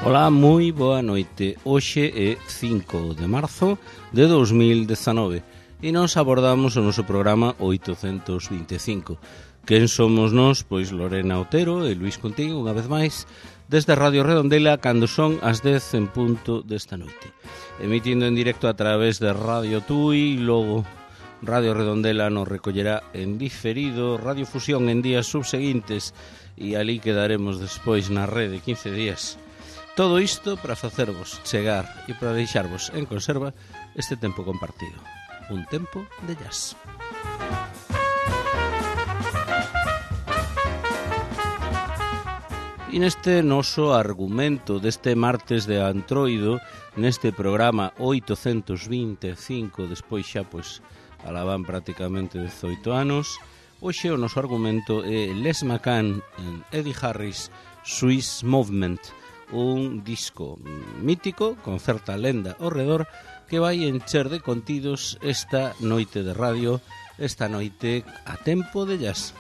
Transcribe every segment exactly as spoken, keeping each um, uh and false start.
Ola, moi boa noite. Hoxe é cinco de marzo de dos mil dezanove e nos abordamos o noso programa oitocentos vinte e cinco. Quen somos nós? Pois Lorena Otero e Luís Contín, unha vez máis, desde Radio Redondela, cando son as dez en punto desta noite. Emitindo en directo a través de Radio Tui, logo Radio Redondela nos recollerá en diferido, Radio Fusión en días subseguintes e ali quedaremos despois na rede quince días. Todo isto para facervos chegar e para deixarvos en conserva este tempo compartido. Un tempo de jazz. E neste noso argumento deste martes de Antroido, neste programa oitocentos vinte e cinco, despois xa pois alaban prácticamente dezoito anos, hoxe o noso argumento é Les McCann en Eddie Harris Swiss Movement, un disco mítico con certa lenda ao redor que vai encher de contidos esta noite de radio, esta noite a tempo de jazz.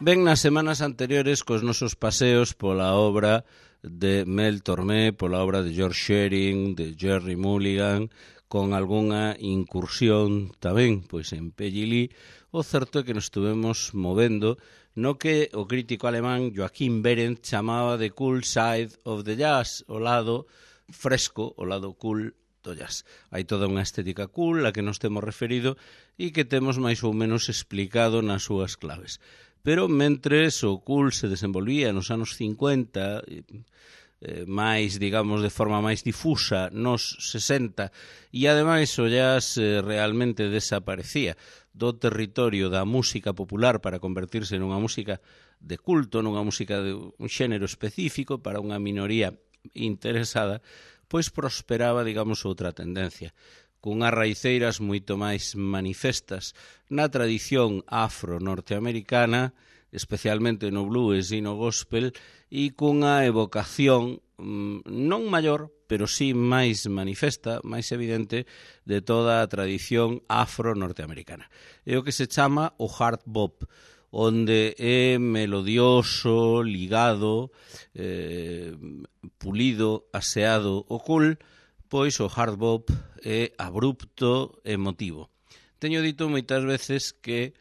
Ben, nas semanas anteriores cos nosos paseos pola obra de Mel Tormé, pola obra de George Shearing, de Gerry Mulligan, con algunha incursión tamén pois en Peggy Lee, o certo é que nos estuvemos movendo no que o crítico alemán Joachim Behrendt chamaba de cool side of the jazz, o lado fresco, o lado cool do jazz. Hai toda unha estética cool a que nos temos referido e que temos máis ou menos explicado nas súas claves. Pero mentres o cool se desenvolvía nos anos cincuenta, eh, máis, digamos, de forma máis difusa nos sesenta, e ademais o jazz eh, realmente desaparecía do territorio da música popular para convertirse nunha música de culto, nunha música de un xénero específico para unha minoría interesada, pois prosperaba, digamos, outra tendencia, cunhas raiceiras moito máis manifestas na tradición afro-norteamericana, especialmente no blues e no gospel, e cunha evocación non maior, pero sí máis manifesta, máis evidente, de toda a tradición afro-norteamericana. É o que se chama o hard bop, onde é melodioso, ligado, eh, pulido, aseado o cool, pois o hard bop é abrupto, emotivo. Teño dito moitas veces que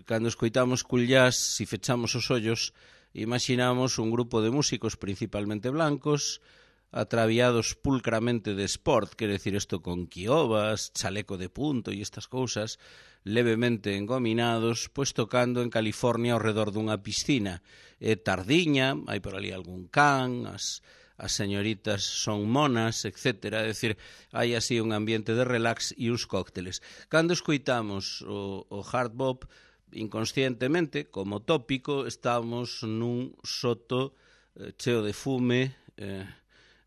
cando escoitamos cool jazz, se fechamos os ollos, imaginamos un grupo de músicos principalmente blancos, atraviados pulcramente de sport, quer decir isto con quiobas, chaleco de punto e estas cousas, levemente engominados, pois tocando en California ao redor dunha piscina. É tardiña, hai por ali algún can, as, as señoritas son monas, etcétera. É dicir, hai así un ambiente de relax e uns cócteles. Cando escoitamos o, o hard bop, inconscientemente, como tópico, estamos nun soto eh, cheo de fume, eh,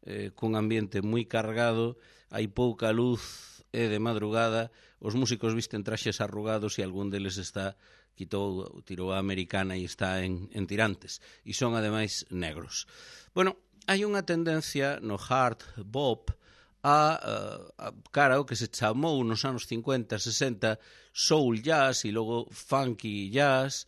eh, cun ambiente moi cargado, hai pouca luz, é de madrugada, os músicos visten traxes arrugados e algún deles está quitou, tirou a americana e está en, en tirantes, e son ademais negros. Bueno, hai unha tendencia no hard bop a, a, a cara o que se chamou nos anos cincuenta, sesenta soul jazz e logo funky jazz,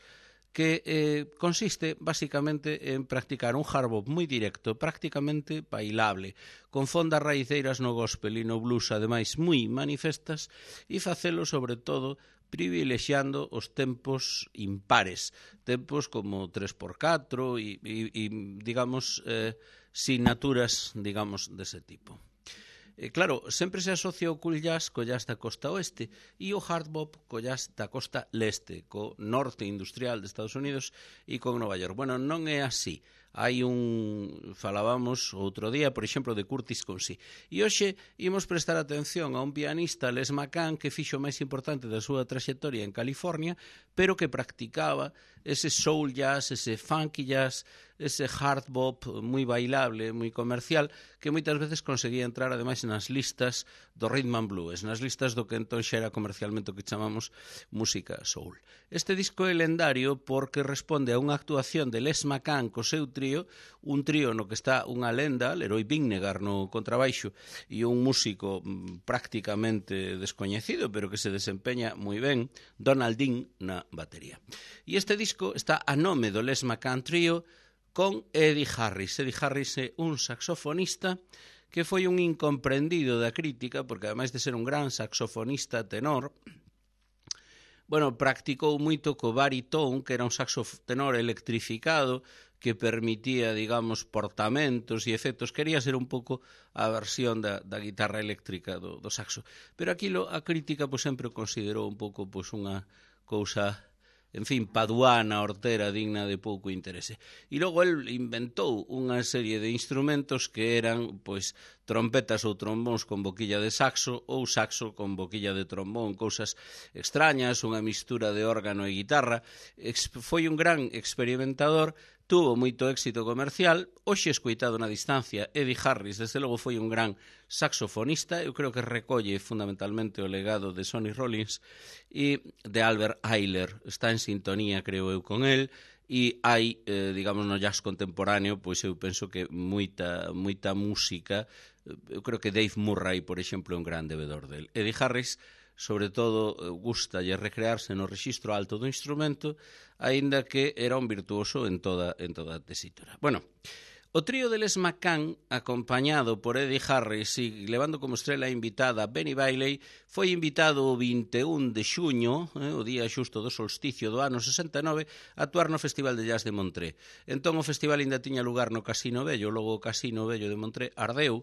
que eh, consiste basicamente en practicar un hard bop moi directo, prácticamente bailable, con fondas raiceiras no gospel e no blues ademais moi manifestas, e facelo sobre todo privilexiando os tempos impares, tempos como tres por catro e, e, e digamos, eh, signaturas, digamos, dese tipo. E claro, sempre se asocia o cool jazz co jazz da costa oeste e o hard bop co jazz da costa leste, co norte industrial de Estados Unidos e con Nova York. Bueno, non é así. Hai un, falábamos outro día, por exemplo, de Curtis Consey. E hoxe imos prestar atención a un pianista, Les McCann, que fixo o máis importante da súa traxectoria en California, pero que practicaba ese soul jazz, ese funky jazz, ese hard bop moi bailable, moi comercial, que moitas veces conseguía entrar ademais nas listas do rhythm and blues, nas listas do que entón xa era comercialmente o que chamamos música soul. Este disco é lendario porque responde a unha actuación de Les McCann co seu Trio, un trío no que está unha lenda, Leroy Vinnegar no contrabaixo, e un músico prácticamente descoñecido, pero que se desempeña moi ben, Donald Dean na batería. E este disco está a nome do Les McCann Trio con Eddie Harris. Eddie Harris é un saxofonista que foi un incomprendido da crítica, porque ademais de ser un gran saxofonista tenor, bueno, practicou moito co baritón, que era un saxo tenor electrificado, que permitía, digamos, portamentos e efectos. Quería ser un pouco a versión da, da guitarra eléctrica do, do saxo. Pero aquilo a crítica pois, sempre o considerou un pouco pois, unha cousa, en fin, paduana, hortera, digna de pouco interese. E logo el inventou unha serie de instrumentos que eran, pois, trompetas ou trombóns con boquilla de saxo ou saxo con boquilla de trombón, cousas extrañas, unha mistura de órgano e guitarra. Foi un gran experimentador, tuvo moito éxito comercial. Hoxe escoitado na distancia, Eddie Harris, desde logo, foi un gran saxofonista. Eu creo que recolle fundamentalmente o legado de Sonny Rollins e de Albert Ayler. Está en sintonía, creo eu, con el. E hai, eh, digamos, no jazz contemporáneo, pois eu penso que moita, moita música. Eu creo que Dave Murray, por exemplo, é un gran debedor del. Eddie Harris, sobre todo, gustalle recrearse no rexistro alto do instrumento, aínda que era un virtuoso en toda, en toda a tesitura. Bueno, o trío de Les McCann, acompañado por Eddie Harris e levando como estrela invitada Benny Bailey, foi invitado o vinte e un de xuño, eh, o día xusto do solsticio do ano sesenta e nove, a actuar no Festival de Jazz de Montré. Entón o festival ainda tiña lugar no Casino Vello, logo o Casino Vello de Montré ardeu.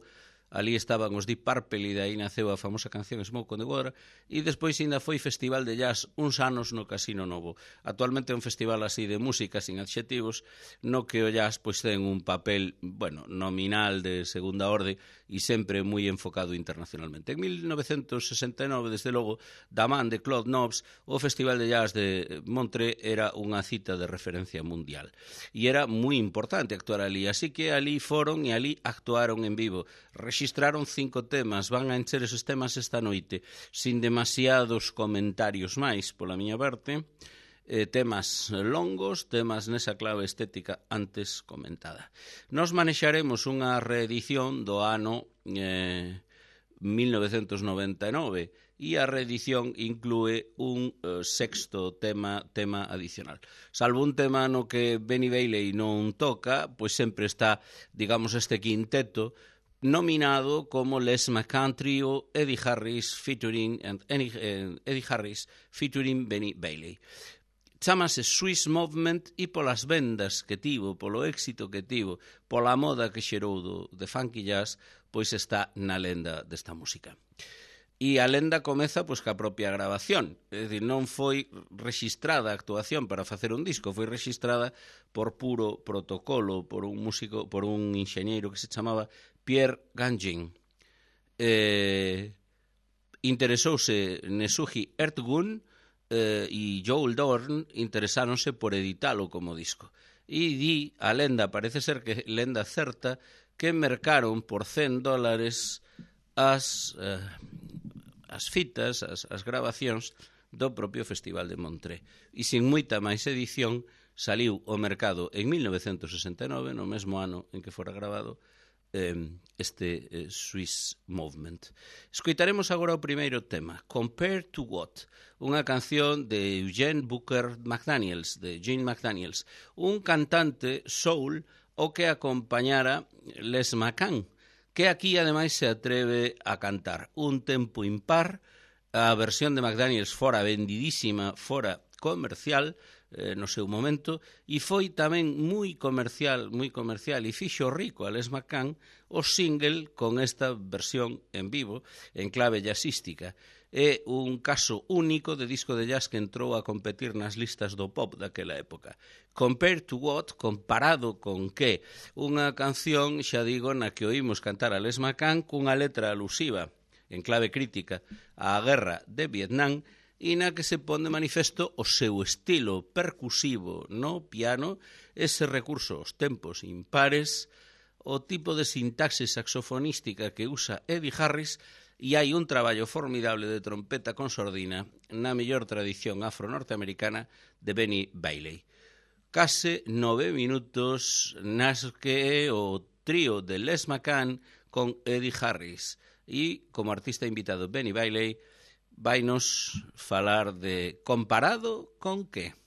Ali estaban os Deep Purple e de aí naceu a famosa canción Smoke on the Water, e despois ainda foi festival de jazz uns anos no Casino Novo. Actualmente é un festival así de música sin adxetivos, no que o jazz pois ten un papel, bueno, nominal de segunda orde e sempre moi enfocado internacionalmente. En mil novecentos sesenta e nove, desde logo, da man de Claude Nobs, o Festival de Jazz de Montré era unha cita de referencia mundial. E era moi importante actuar ali, así que ali foron e ali actuaron en vivo. Rexistraron cinco temas, van a encher esos temas esta noite, sin demasiados comentarios máis, pola miña parte, eh, temas longos, temas nesa clave estética antes comentada. Nos manexaremos unha reedición do ano eh, mil novecentos noventa e nove e a reedición inclúe un eh, sexto tema tema adicional. Salvo un tema no que Benny Bailey non toca, pois sempre está, digamos, este quinteto nominado como Les McCann Trio, Eddie Harris featuring and Eddie Harris featuring Benny Bailey. Chámase Swiss Movement e polas vendas que tivo, polo éxito que tivo, pola moda que xerou do, de funky jazz, pois está na lenda desta música. E a lenda comeza pois ca propia grabación, é dicir, non foi rexistrada a actuación para facer un disco, foi rexistrada por puro protocolo, por un músico, por un enxeñeiro que se chamaba Pierre Gagin. Eh, interesouse Nesuhi Ertgun eh, e Joel Dorn interesáronse por editalo como disco. E di, a lenda, parece ser que lenda certa, que mercaron por cen dólares as, eh, as fitas, as, as grabacións do propio Festival de Montré. E sin moita máis edición, saliu ao mercado en mil novecentos sesenta e nove, no mesmo ano en que fora grabado, este eh, Swiss Movement. Escoitaremos agora o primeiro tema, Compared to What, unha canción de Eugene Booker McDaniels, de Gene McDaniels, un cantante soul o que acompañara Les McCann, que aquí ademais se atreve a cantar un tempo impar. A versión de McDaniels fora vendidísima, fora comercial, eh, no seu momento, e foi tamén moi comercial, moi comercial, e fixo rico a Les McCann o single con esta versión en vivo, en clave jazzística. É un caso único de disco de jazz que entrou a competir nas listas do pop daquela época. Compared to what? Comparado con que? Unha canción, xa digo, na que oímos cantar a Les McCann cunha letra alusiva, en clave crítica, á guerra de Vietnam, e na que se pon de manifesto o seu estilo percusivo no piano, ese recurso aos tempos impares, o tipo de sintaxe saxofonística que usa Eddie Harris, e hai un traballo formidable de trompeta con sordina na mellor tradición afro-norteamericana de Benny Bailey. case nove minutos nas que o trío de Les McCann con Eddie Harris e como artista invitado Benny Bailey vainos falar de comparado con que?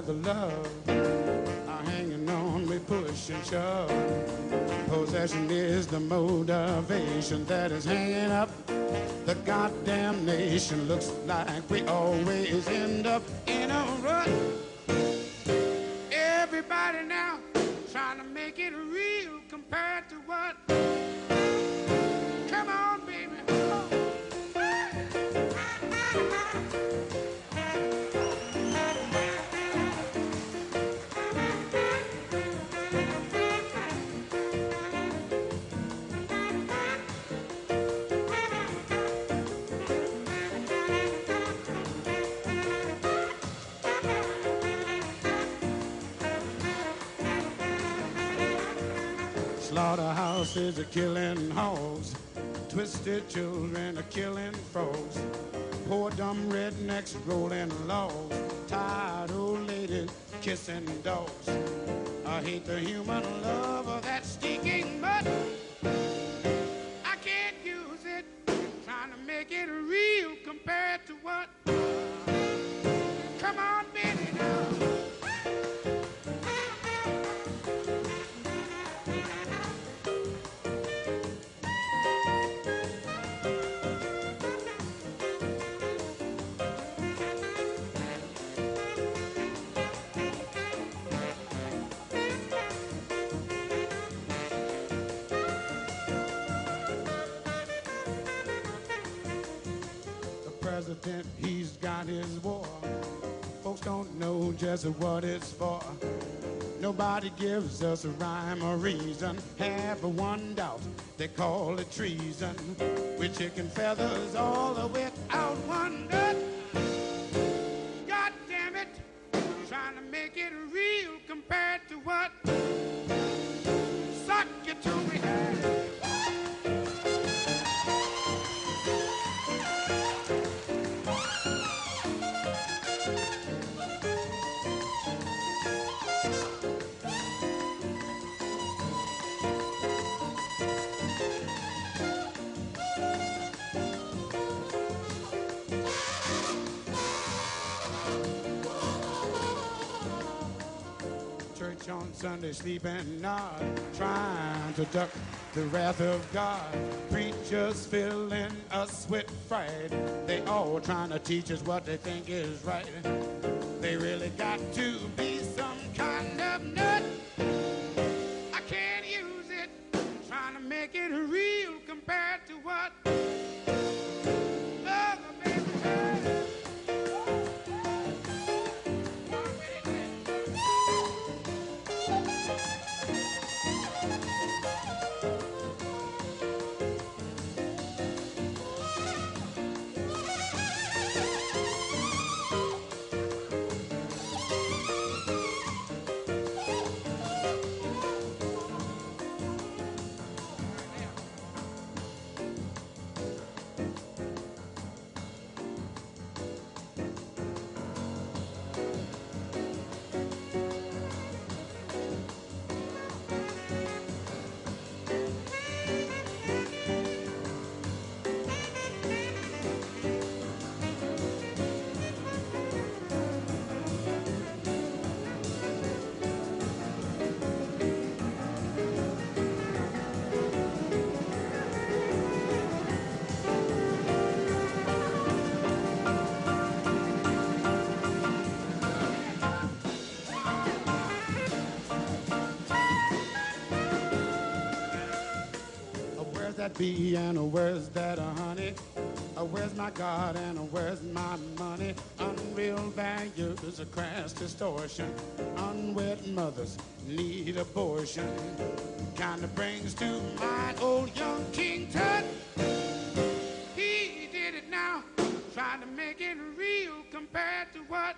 The love are hanging on, we push and shove. Possession is the motivation that is hanging up the goddamn nation. Looks like we always end up in a rut. Everybody now trying to make it real compared to what? Come on, baby. Slaughterhouses are killing hogs, twisted children are killing frogs, poor dumb rednecks rolling logs, tired old ladies kissing dogs. I hate the human love of that stinking mud. I can't use it, trying to make it real compared to what? Come on, baby, now. President, he's got his war. Folks don't know just what it's for. Nobody gives us a rhyme or reason. Have one doubt, they call it treason. With chicken feathers all without one gut. God damn it, trying to make it real compared to what? Suck it to me. On Sunday sleeping, not trying to duck the wrath of God. Preachers filling us with fright. They all trying to teach us what they think is right. They really got to be some kind of nut. I can't use it, trying to make it real compared to what other baby does. That bee and where's that uh, honey? Uh, where's my God and uh, where's my money? Unreal values, a crass distortion. Unwed mothers need abortion. Kind of brings to mind old young King Tut. He did it now, trying to make it real compared to what?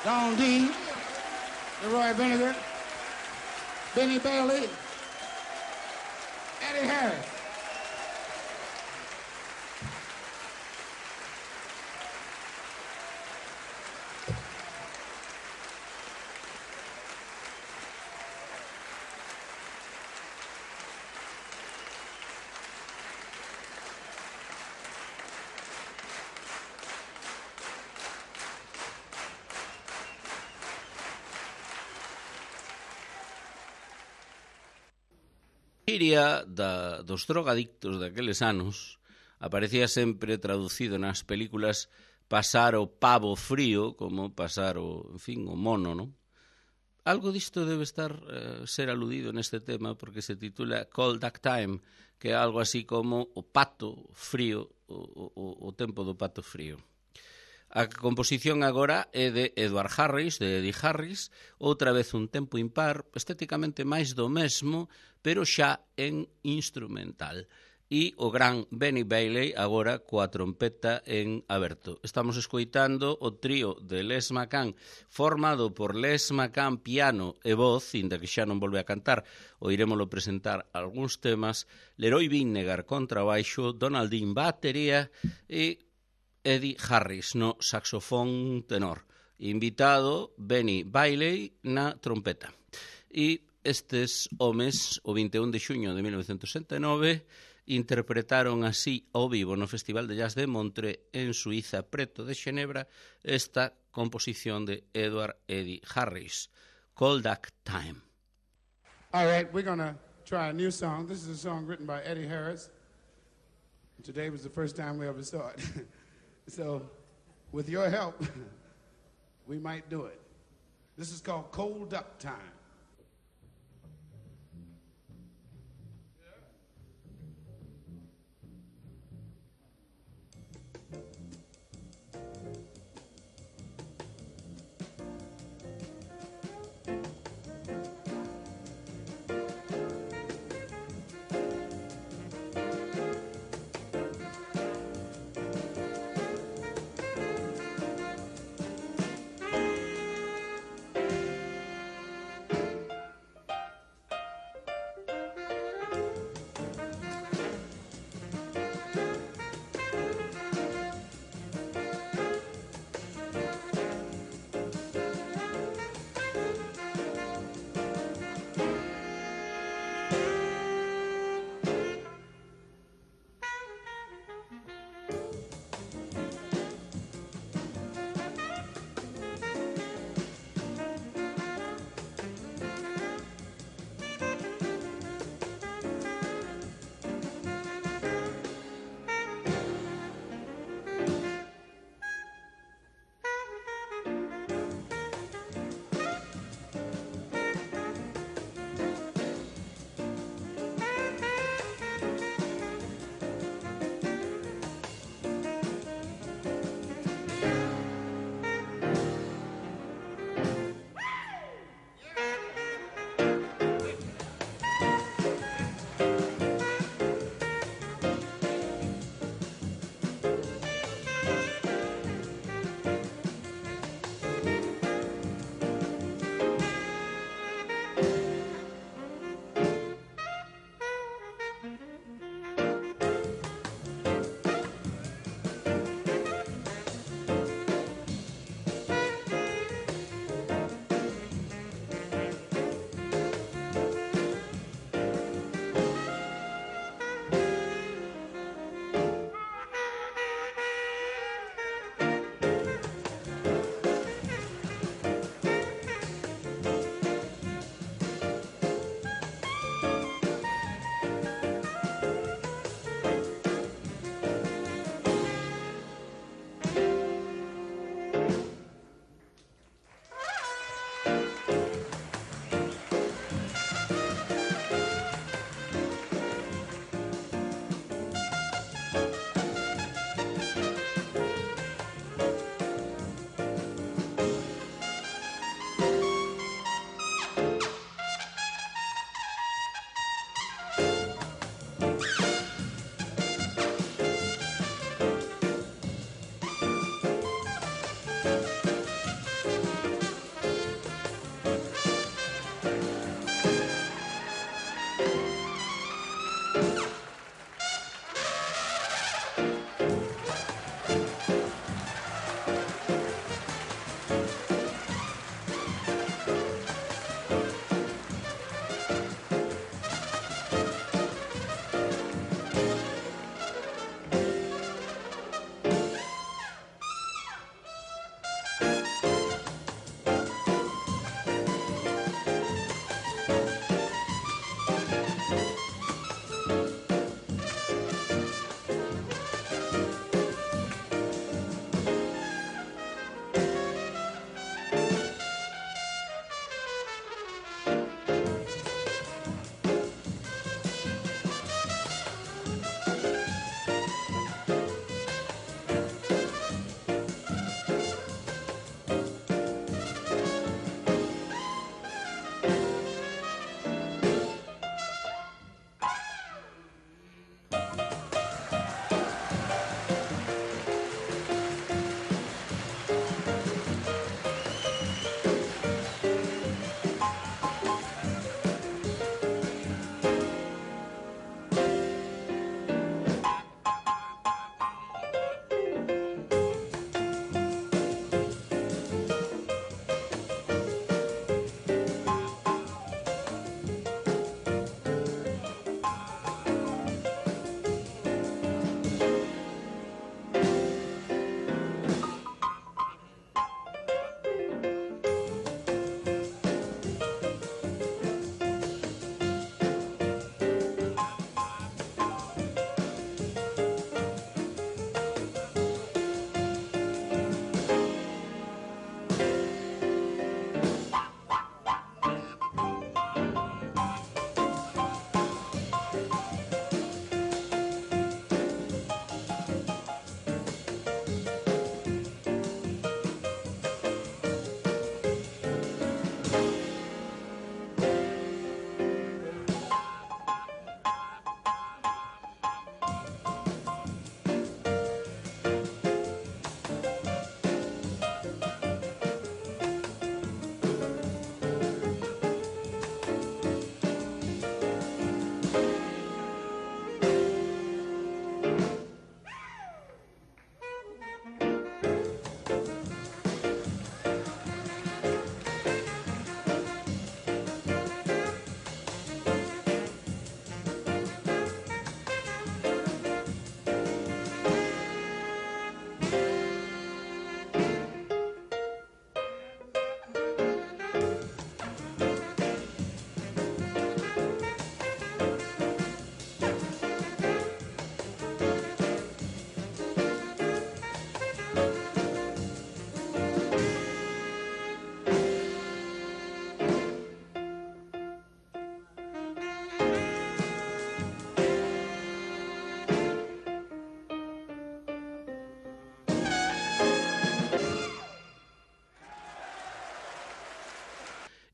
Don Dean, Leroy Vinegar, Benny Bailey, Eddie Harris. Iria da, dos drogadictos daqueles anos aparecía sempre traducido nas películas pasar o pavo frío como pasar o, en fin, o mono, non? Algo disto debe estar eh, ser aludido neste tema porque se titula Cold Duck Time, que é algo así como o pato frío, o, o, o tempo do pato frío. A composición agora é de Edward Harris, de Eddie Harris, outra vez un tempo impar, estéticamente máis do mesmo, pero xa en instrumental. e o gran Benny Bailey agora coa trompeta en aberto. Estamos escoitando o trío de Les McCann formado por Les McCann piano e voz, inda que xa non volve a cantar, o irémolo presentar algúns temas, Leroy Vinnegar contrabaixo, Donald Dean batería e Eddie Harris no saxofón tenor. Invitado Benny Bailey na trompeta. E estes homes, o vinte e un de xuño de mil novecentos sesenta e nove, interpretaron así ao vivo no Festival de Jazz de Montreux en Suiza, preto de Xenebra, esta composición de Edward Eddie Harris, Cold Duck Time. All right, we're going to try a new song. This is a song written by Eddie Harris. Today was the first time we ever saw it. So, with your help, we might do it. This is called Cold Duck Time.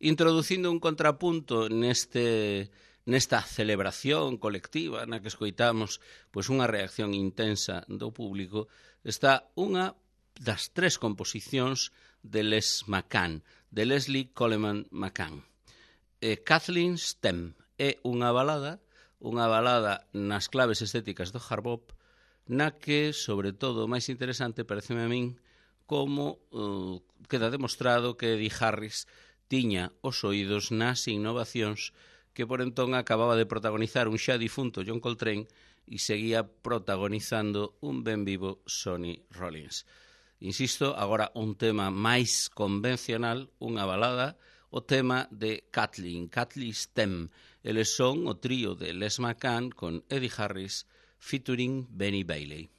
introducindo un contrapunto neste nesta celebración colectiva na que escoitamos pois unha reacción intensa do público, está unha das tres composicións de Les McCann, de Leslie Coleman McCann. Eh, Kathleen Stem é unha balada, unha balada nas claves estéticas do hard bop, na que, sobre todo, o máis interesante pareceme a min como uh, queda demostrado que Eddie Harris tiña os oídos nas innovacións que por entón acababa de protagonizar un xa difunto John Coltrane e seguía protagonizando un ben vivo Sonny Rollins. Insisto, agora un tema máis convencional, unha balada, o tema de Kathleen, Kathleen Stem. Eles son o trío de Les McCann con Eddie Harris featuring Benny Bailey.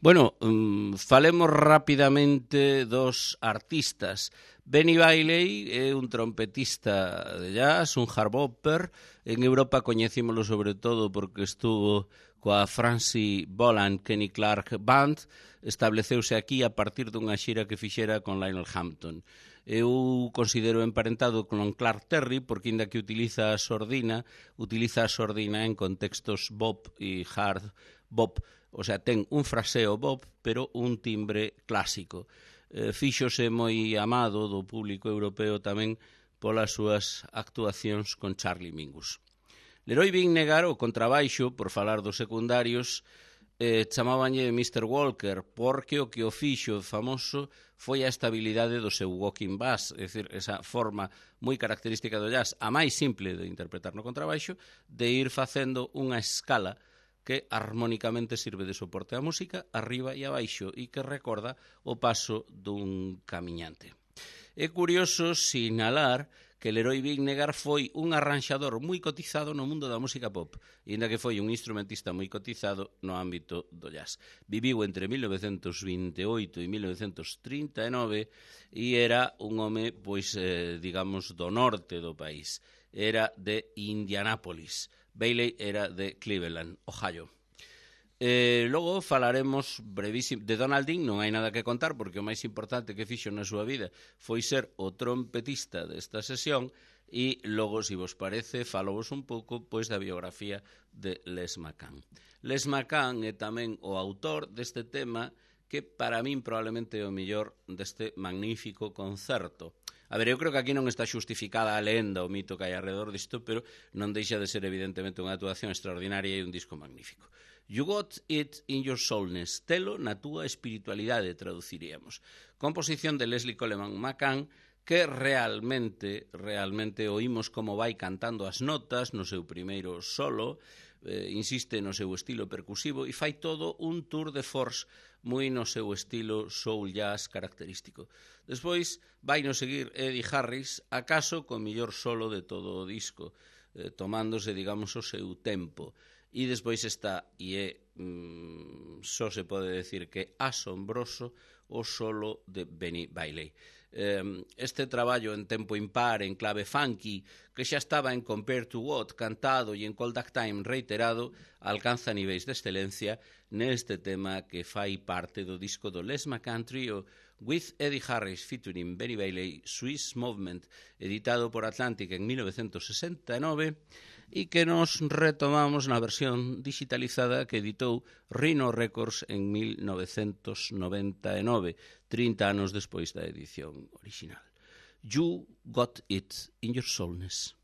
Bueno, um, falemos rapidamente dos artistas. Benny Bailey é un trompetista de jazz, un hard bopper. En Europa coñecímolo sobre todo porque estuvo coa Francie Boland Kenny Clark Band. Estableceuse aquí a partir dunha xira que fixera con Lionel Hampton. Eu considero emparentado con Clark Terry porque, inda que utiliza a sordina, utiliza a sordina en contextos bop e hard bop. O sea, ten un fraseo bop, pero un timbre clásico. Eh, fíxose moi amado do público europeo tamén polas súas actuacións con Charlie Mingus. Leroy Vinnegar, o contrabaixo, por falar dos secundarios, eh, chamabanlle mister Walker, porque o que o fixo famoso foi a estabilidade do seu walking bass, é dicir, esa forma moi característica do jazz, a máis simple de interpretar no contrabaixo, de ir facendo unha escala que armónicamente sirve de soporte á música, arriba e abaixo, e que recorda o paso dun camiñante. É curioso sinalar que Leroy Vinnegar foi un arranxador moi cotizado no mundo da música pop, e ainda que foi un instrumentista moi cotizado no ámbito do jazz. Viviu entre mil novecentos vinte e oito e mil novecentos trinta e nove e era un home, pois, eh, digamos, do norte do país. Era de Indianápolis. Bailey era de Cleveland, Ohio. Eh, logo falaremos brevísimo de Donald Dean. Non hai nada que contar porque o máis importante que fixo na súa vida foi ser o trompetista desta sesión, e logo, se vos parece, falovos un pouco pois da biografía de Les McCann. Les McCann é tamén o autor deste tema que para min probablemente é o mellor deste magnífico concerto. A ver, eu creo que aquí non está xustificada a lenda, o mito que hai alrededor disto, pero non deixa de ser evidentemente unha actuación extraordinaria e un disco magnífico. You got it in your soulness, telo na túa espiritualidade, traduciríamos. Composición de Leslie Coleman McCann, que realmente, realmente oímos como vai cantando as notas no seu primeiro solo, eh, insiste no seu estilo percusivo e fai todo un tour de force moi no seu estilo soul jazz característico. Despois vai no seguir Eddie Harris, acaso co mellor solo de todo o disco, eh, tomándose, digamos, o seu tempo. E despois está, e é, mm, só se pode decir que asombroso, o solo de Benny Bailey. Este traballo en tempo impar, en clave funky, que xa estaba en Compare to What cantado e en Cold Duck Time reiterado, alcanza niveis de excelencia neste tema que fai parte do disco do Les McCann Trio with Eddie Harris featuring Benny Bailey, Swiss Movement, editado por Atlantic en mil novecentos sesenta e nove, e que nos retomamos na versión digitalizada que editou Rhino Records en mil novecentos noventa e nove, trinta anos despois da edición original. You got it in your soulness.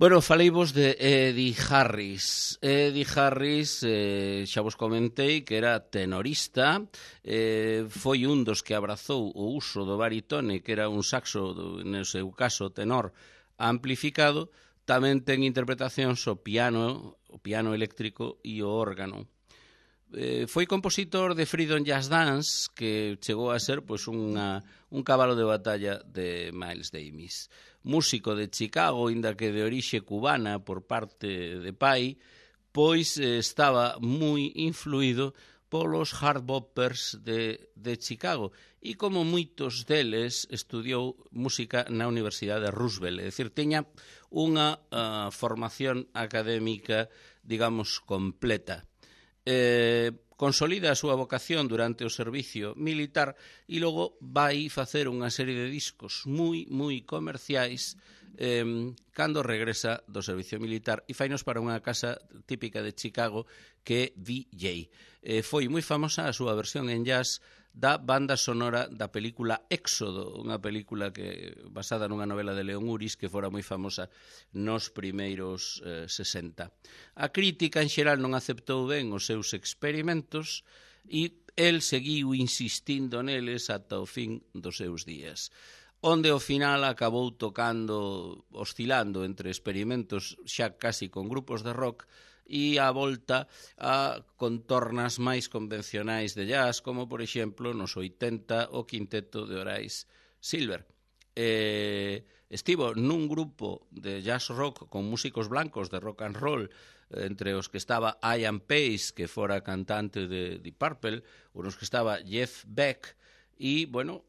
Bueno, faleivos de Eddie Harris. Eddie Harris, eh, xa vos comentei que era tenorista, eh, foi un dos que abrazou o uso do baritone, que era un saxo, no seu caso tenor, amplificado. Tamén ten interpretacións o piano, o piano eléctrico e o órgano. Eh, foi compositor de Freedom Jazz Dance, que chegou a ser pois, unha, un cabalo de batalla de Miles Davis. Músico de Chicago, inda que de orixe cubana por parte de pai, pois eh, estaba moi influído polos hard boppers de, de Chicago e como moitos deles estudiou música na Universidade de Roosevelt, é dicir, tiña unha uh, formación académica, digamos, completa. Eh, consolida a súa vocación durante o servicio militar e logo vai facer unha serie de discos moi, moi comerciais eh, cando regresa do servicio militar e fainos para unha casa típica de Chicago que é V J. Eh, foi moi famosa a súa versión en jazz da banda sonora da película Éxodo, unha película que basada nunha novela de León Uris que fora moi famosa nos primeiros eh, sesenta. A crítica en xeral non aceptou ben os seus experimentos e el seguiu insistindo neles ata o fin dos seus días, onde ao final acabou tocando, oscilando entre experimentos xa casi con grupos de rock e a volta a contornas máis convencionais de jazz, como, por exemplo, nos oitenta o quinteto de Horace Silver. Eh, estivo nun grupo de jazz rock con músicos blancos de rock and roll, entre os que estaba Ian Pace, que fora cantante de Deep Purple, unos que estaba Jeff Beck, e, bueno,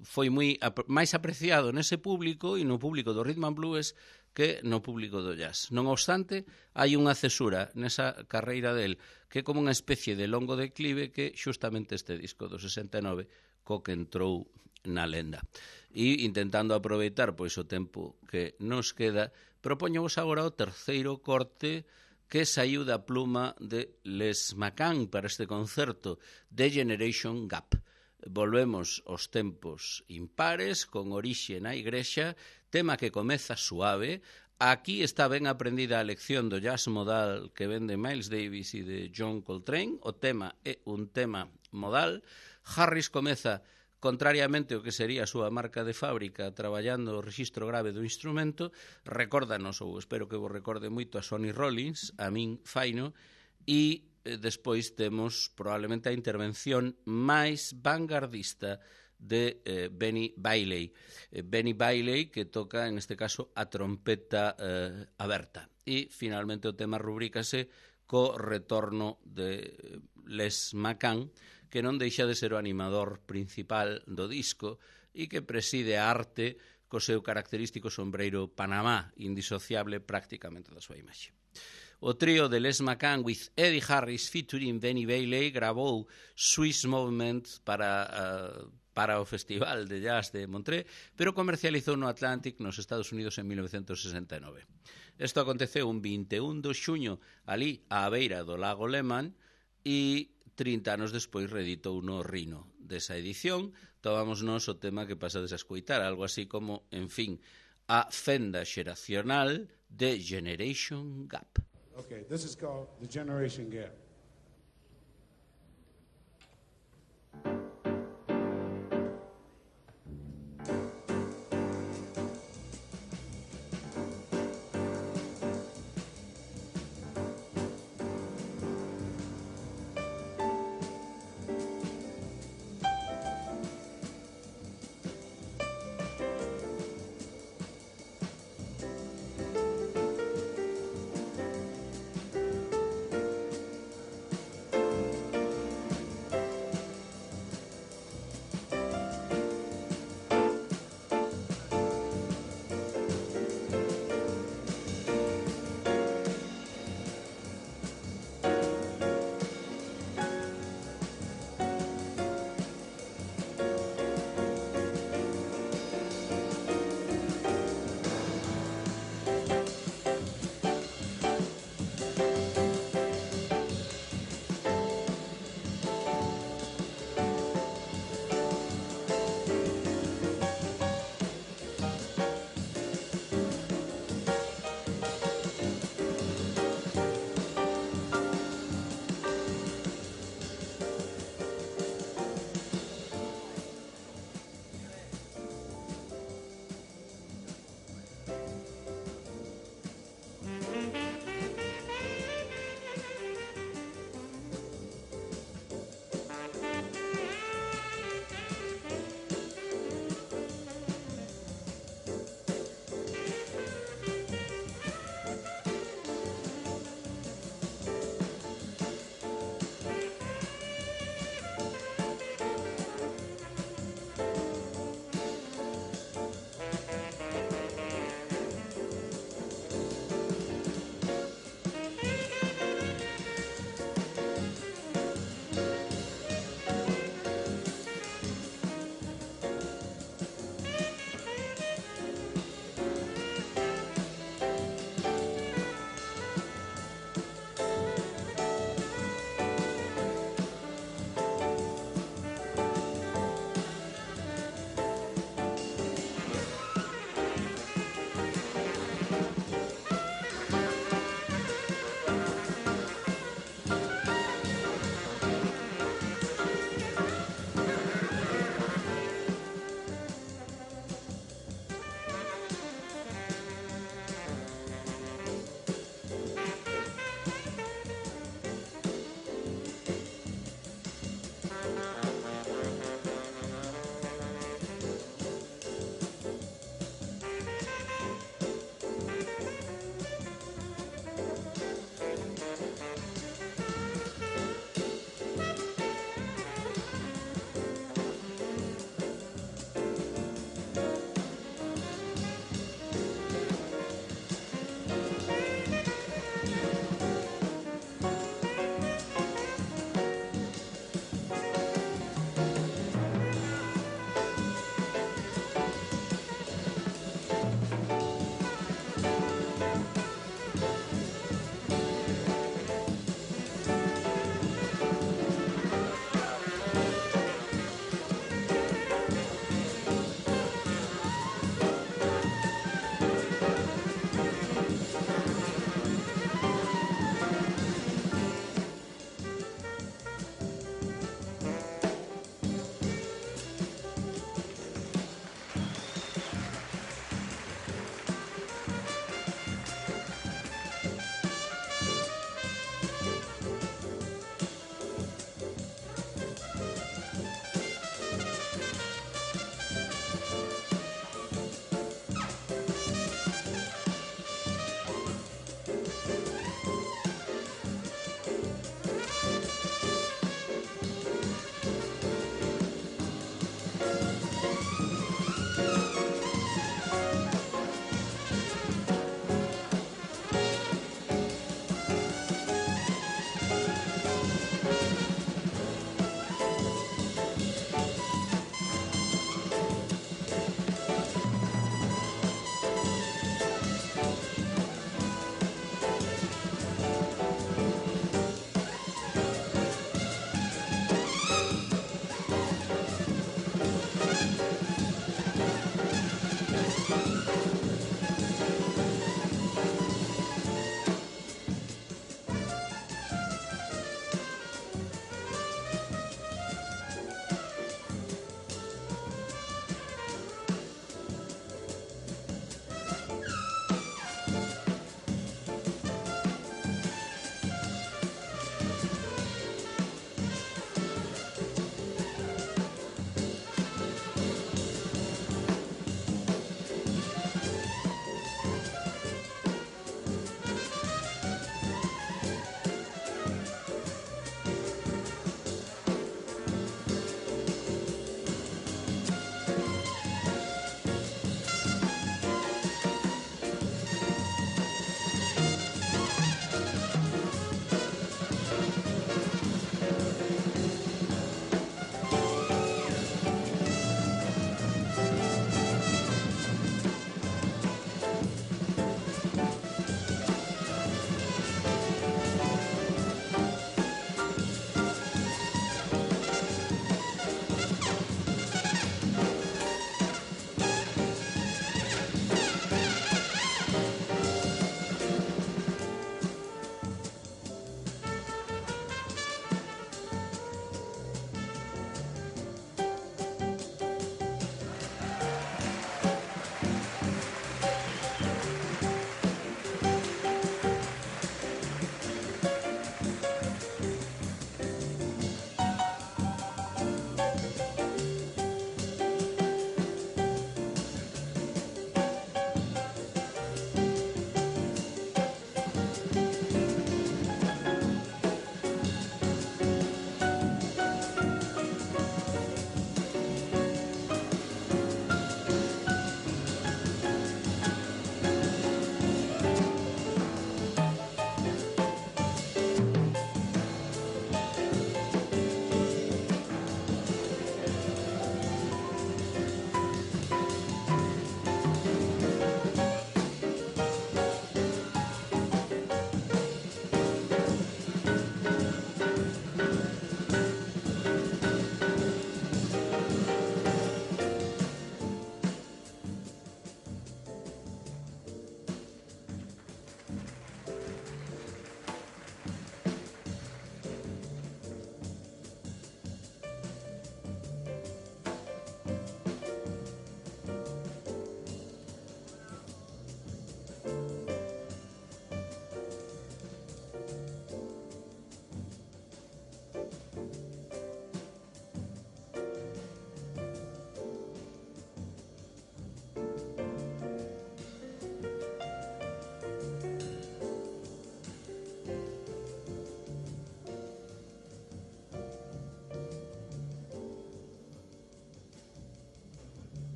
foi moi máis apreciado nese público e no público do rhythm and blues que no público do jazz. Non obstante, hai unha cesura nesa carreira del que é como unha especie de longo declive que xustamente este disco do sesenta e nove co que entrou na lenda. E intentando aproveitar pois o tempo que nos queda, propoñovos agora o terceiro corte que saiu da pluma de Les McCann para este concerto de Generation Gap. Volvemos aos tempos impares, con orixe na igrexa, tema que comeza suave. Aquí está ben aprendida a lección do jazz modal que ven de Miles Davis e de John Coltrane. O tema é un tema modal. Harris comeza, contrariamente ao que sería a súa marca de fábrica, traballando o rexistro grave do instrumento. Recórdanos, ou espero que vos recorde moito, a Sonny Rollins, a min faino, e despois temos probablemente a intervención máis vanguardista de eh, Benny Bailey. Eh, Benny Bailey, que toca, en este caso, a trompeta eh, aberta. E, finalmente, o tema rubrícase co retorno de Les McCann, que non deixa de ser o animador principal do disco e que preside a arte co seu característico sombreiro Panamá, indisociable prácticamente da súa imaxe. O trío de Les McCann with Eddie Harris featuring Benny Bailey grabou Swiss Movement para, uh, para o Festival de Jazz de Montreux, pero comercializou no Atlantic nos Estados Unidos en mil novecentos sesenta e nove. Isto aconteceu un vinte e un de xuño ali á beira do lago Lehmann e trinta anos despois reeditou no Rino. Desa edición tomamos nos o tema que pasades a escoitar, algo así como, en fin, a fenda xeracional de Generation Gap. Okay, this is called the Generation Gap.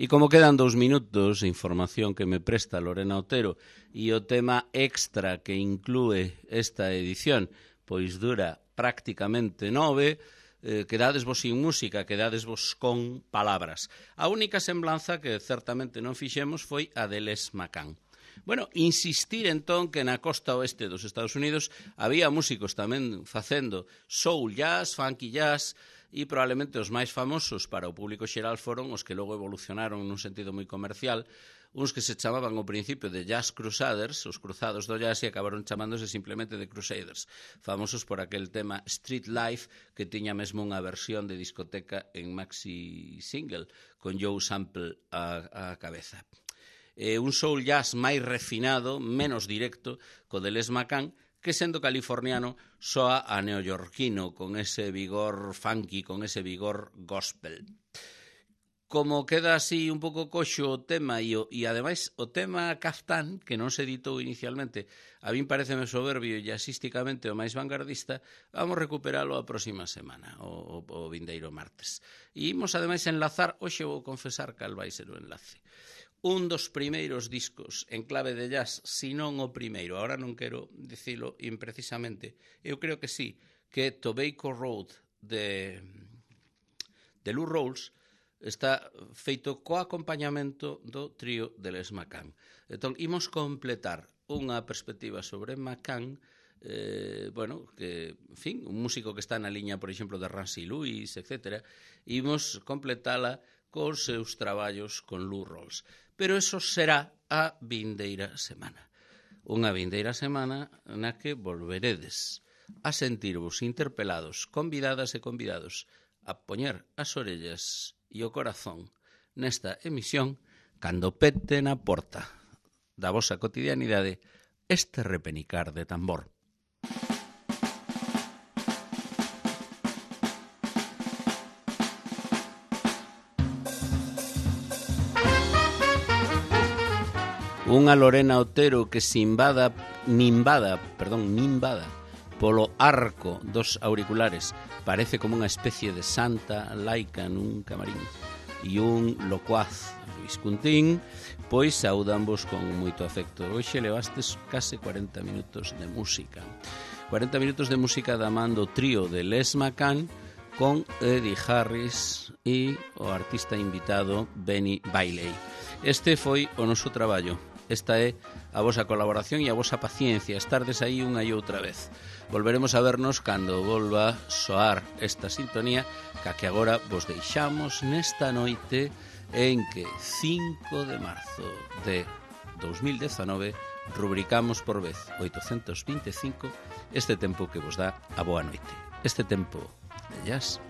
E como quedan dous minutos, información que me presta Lorena Otero e o tema extra que inclúe esta edición, pois dura prácticamente nove, eh, quedades vos sin música, quedades vos con palabras. A única semblanza que certamente non fixemos foi a de Les McCann. Bueno, insistir entón que na costa oeste dos Estados Unidos había músicos tamén facendo soul jazz, funky jazz, e probablemente os máis famosos para o público xeral foron os que logo evolucionaron nun sentido moi comercial, uns que se chamaban ao principio de Jazz Crusaders, os cruzados do jazz, e acabaron chamándose simplemente de Crusaders, famosos por aquel tema Street Life, que tiña mesmo unha versión de discoteca en maxi single, con Joe Sample a, a cabeza. Eh, un soul jazz máis refinado, menos directo, co de Les McCann, que sendo californiano soa a neoyorquino, con ese vigor funky, con ese vigor gospel. Como queda así un pouco coxo o tema, e, o, e ademais o tema Caftán, que non se editou inicialmente, a min pareceme soberbio e jazzísticamente o máis vanguardista, vamos recuperalo a próxima semana, o, o, o vindeiro martes. E imos ademais enlazar, hoxe vou confesar cal vai ser o enlace, un dos primeiros discos en clave de jazz, si non o primeiro, agora non quero dicilo imprecisamente, eu creo que sí, que Tobacco Road de, de Lou Rawls está feito co acompañamento do trío de Les McCann. Entón, imos completar unha perspectiva sobre McCann, eh, bueno, que, en fin, un músico que está na liña, por exemplo, de Ramsey Lewis, etcétera, imos completala cos seus traballos con Lou Rawls. Pero eso será a vindeira semana. Unha vindeira semana na que volveredes a sentirvos interpelados, convidadas e convidados, a poñer as orellas e o corazón nesta emisión cando pete na porta da vosa cotidianidade este repenicar de tambor. Unha Lorena Otero que se invada, nimbada, perdón, nimbada polo arco dos auriculares, parece como unha especie de santa laica nun camarín, e un locuaz Luis Cuntín, pois saudambos con moito afecto. Hoxe levastes case cuarenta minutos de música. cuarenta minutos de música da man do trío de Les McCann con Eddie Harris e o artista invitado Benny Bailey. Este foi o noso traballo. Esta é a vosa colaboración e a vosa paciencia, estardes aí unha e outra vez. Volveremos a vernos cando volva soar esta sintonía, ca que agora vos deixamos nesta noite en que cinco de marzo de dos mil dezanove rubricamos por vez oitocentos vinte e cinco este tempo que vos dá a boa noite. Este tempo de jazz.